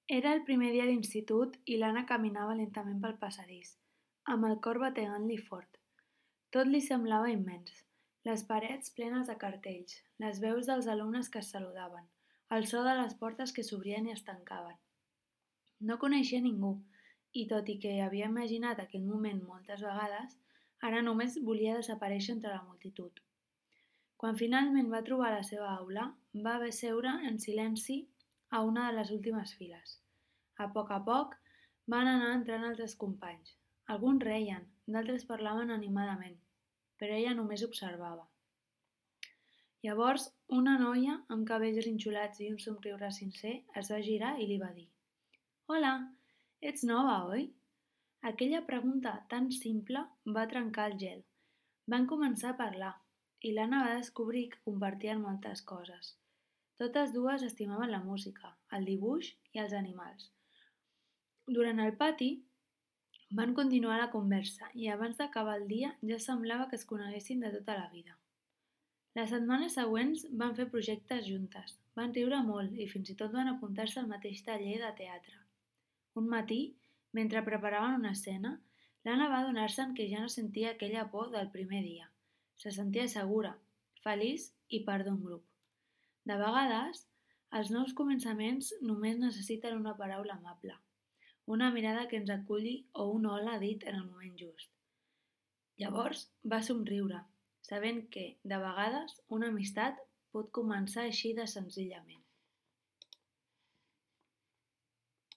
Era el primer dia d'institut i l'Anna caminava lentament pel passadís, amb el cor bategant-li fort. Tot li semblava immens. Les parets plenes de cartells, les veus dels alumnes que es saludaven, el so de les portes que s'obrien i es tancaven. No coneixia ningú, i tot i que havia imaginat aquell moment moltes vegades, ara només volia desaparèixer entre la multitud. Quan finalment va trobar la seva aula, va haver seure en silenci a una de les últimes files. A poc, van anar entrant altres companys. Alguns reien, d'altres parlaven animadament, però ella només observava. Llavors, una noia amb cabells grinxolats i un somriure sincer es va girar i li va dir: «Hola, ets nova, oi?» Aquella pregunta tan simple va trencar el gel. Van començar a parlar i l'Anna va descobrir que compartien moltes coses. Totes dues estimaven la música, el dibuix i els animals. Durant el pati van continuar la conversa i abans d'acabar el dia ja semblava que es coneguessin de tota la vida. Les setmanes següents van fer projectes juntes, van riure molt i fins i tot van apuntar-se al mateix taller de teatre. Un matí, mentre preparaven una escena, l'Anna va adonar-se'n que ja no sentia aquella por del primer dia. Se sentia segura, feliç i part d'un grup. De vegades, els nous començaments només necessiten una paraula amable, una mirada que ens aculli o un hola dit en el moment just. Llavors va somriure, sabent que, de vegades, una amistat pot començar així de senzillament.